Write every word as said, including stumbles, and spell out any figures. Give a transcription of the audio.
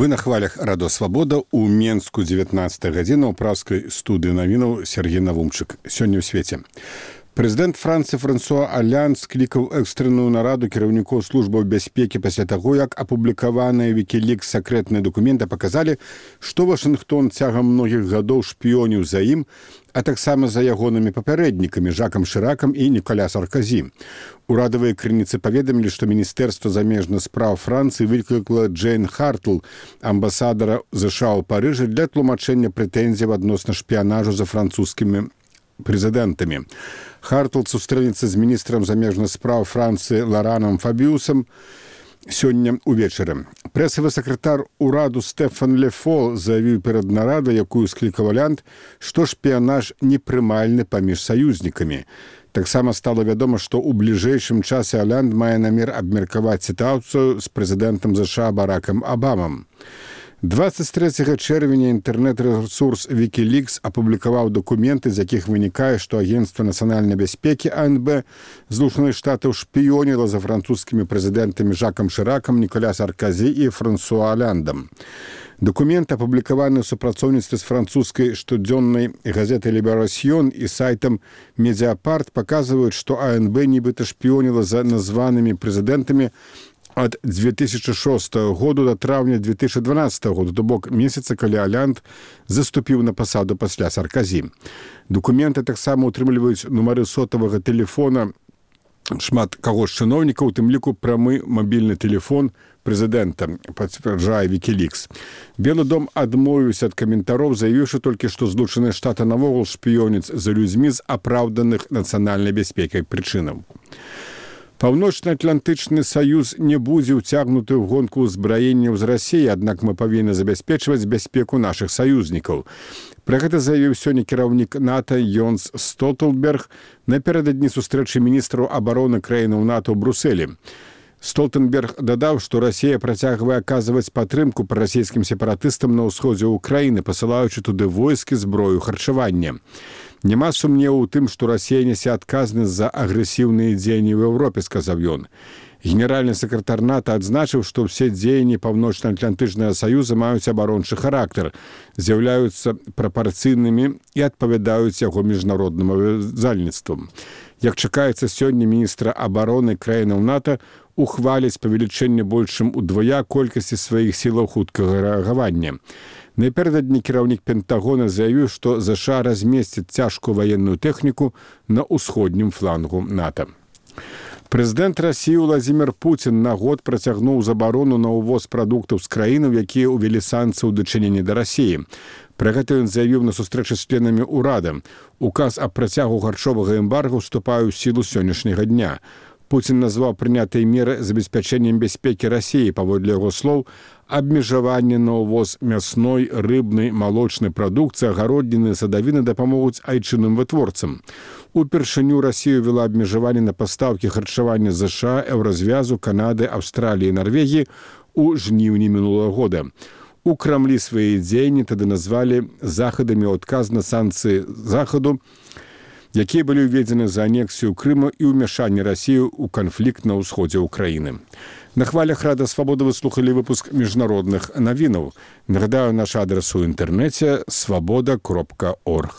Вы на хвалях Радо Свабода ў Менску дзевятнаццатая гадзіна ў праўскай студыі навінаў Сергей Навумчык. Сёння ў свеце. Прэзідэнт Францыі Франсуа Алянд склікаў экстранную нараду кіраўнікоў службаў бяспекі пасля таго, як апублікаваныя Wikileaks сакрэтныя дакументы паказалі, што Вашынгтон цягам многіх гадоў шпіёніў за ім, а таксама за ягонымі папярэднікамі Жакам Шыракам і Ніколя Сарказі. Урадавыя крыніцы паведамілі, што Міністэрства замежных спраў Францыі выклікала Джейн Хартл, амбасадара ЗША ў Парыжы, для тлумачэння прэтэнзій адносна шпіянажу за французскімі прэзідэнтамі. Хартл сустрэнецца з міністрам замежных спраў Францыі Ларанам Фабіусам сёння ўвечары. Прэсавы сакратар ураду Стэфан Ле Фол заявіў перад нарадай, якую склікаў Алянд, што шпіянаж непрымальны паміж саюзнікамі. Таксама стала вядома, што ў бліжэйшым часе Алянд мае намер абмеркаваць сітуацыю з прэзідэнтам ЗША Баракам Абамам. дваццаць трэцяга чэрвеня інтэрнэт-рэсурс Wikileaks апублікаваў дакументы, з якіх вынікае, што Агенцтва нацыянальнай бяспекі А Н Б Злучаных Штатаў шпіёніла за французскімі прэзідэнтамі Жакам Шыракам, Ніколя Сарказі і Франсуа Аляндам. Дакументы, апублікаваны ў супрацоўніцтве з французскай штодзённай газетай «Ліберасьён» і сайтам «Медиапарт», паказваюць, што А Н Б нібыта шпіёніла за названымі прэзідэнтамі ад дзве тысячы шостага году да траўня дзве тысячы дванаццатага году, то бок месяца, калі Алянд заступіў на пасаду пасля Сарказі. Дакументы таксама утрымліваюць нумары сотавага тэлефона шмат каго з чыноўнікаў, у тым ліку прамы мабільны тэлефон прэзідэнта, пацвярджае Wikileaks. Белы дом адмовіўся ад каментароў, заявіўшы толькі, што Злучаныя Штаты навогул шпіёняць за людзьмі з апраўданых нацыянальнай бяспекай прычынаў. Паўночна-Атлантычны саюз не будзе ўцягнуты ў гонку ўзбраенняў з Расіі, аднак мы павінны забяспечваць бяспеку нашых саюзнікаў. Пра гэта заявіў сёння кіраўнік НАТО Йонс Столтенберг напярэдадні сустрэчы міністраў абароны краінаў НАТО ў Брусэлі. Столтенберг дадаў, што Расія працягвае аказваць падтрымку прарасійскім сепаратыстам на ўсходзе ўкраіны, пасылаючы туды войскі, зброю, харчаванне. Няма сумневу ў тым, што Расія нясе адказнасць за агрэсіўныя дзеянні ў Еўропе, сказаў ён. Генеральны сакратар НАТО адзначыў, што ўсе дзеянні Паўночна-Атлантычнага саюза маюць абарончы характар, з'яўляюцца прапарцыйнымі і адпавядаюць яго міжнародным абавязальніцтвам. Як чакаецца, сёння міністра абароны краінаў НАТО ухваляць павелічэнне больш чым удвая колькасці сваіх сілаў хуткага рэагавання. Напярэдадні кіраўнік Пентагона заявіў, што ЗША размесціць цяжкую ваенную тэхніку на ўсходнім флангу НАТО. Прэзідэнт Расіі Владзімір Пуцін на год працягнуў забарону на ўвоз прадуктаў з краінаў, якія ўвялі санкцыі ў дачыненні да Расіі. Пра гэта ён заявіў на сустрэчы з членамі ўрада. Указ аб працягу харчовага эмбарга ўступае ў сілу сённяшняга дня. Пуцін назваў прынятыя меры забеспячэннем бяспекі Расіі, паводле яго слоў, абмежаванне на ўвоз мясной, рыбнай, малочнай прадукцыі, агародніны, садавіны дапамогуць айчынным вытворцам. Упершыню Расія ввела абмежаванне на пастаўкі харчавання ЗША, Еўразвязу, Канады, Аўстраліі і Нарвегіі ў жніўні мінулага года. У Крамлі свае дзеянні тады назвалі захадамі ў адказ на санкцыі захаду, якія былі ўведзены за анексію Крыма і ўмяшанне Расіі ў канфлікт на ўсходзе ўкраіны. На хвалях Рада Свабода вы слухалі выпуск міжнародных навінаў. Нагадаю, наш адрес у інтэрнэце свабода кропка орг.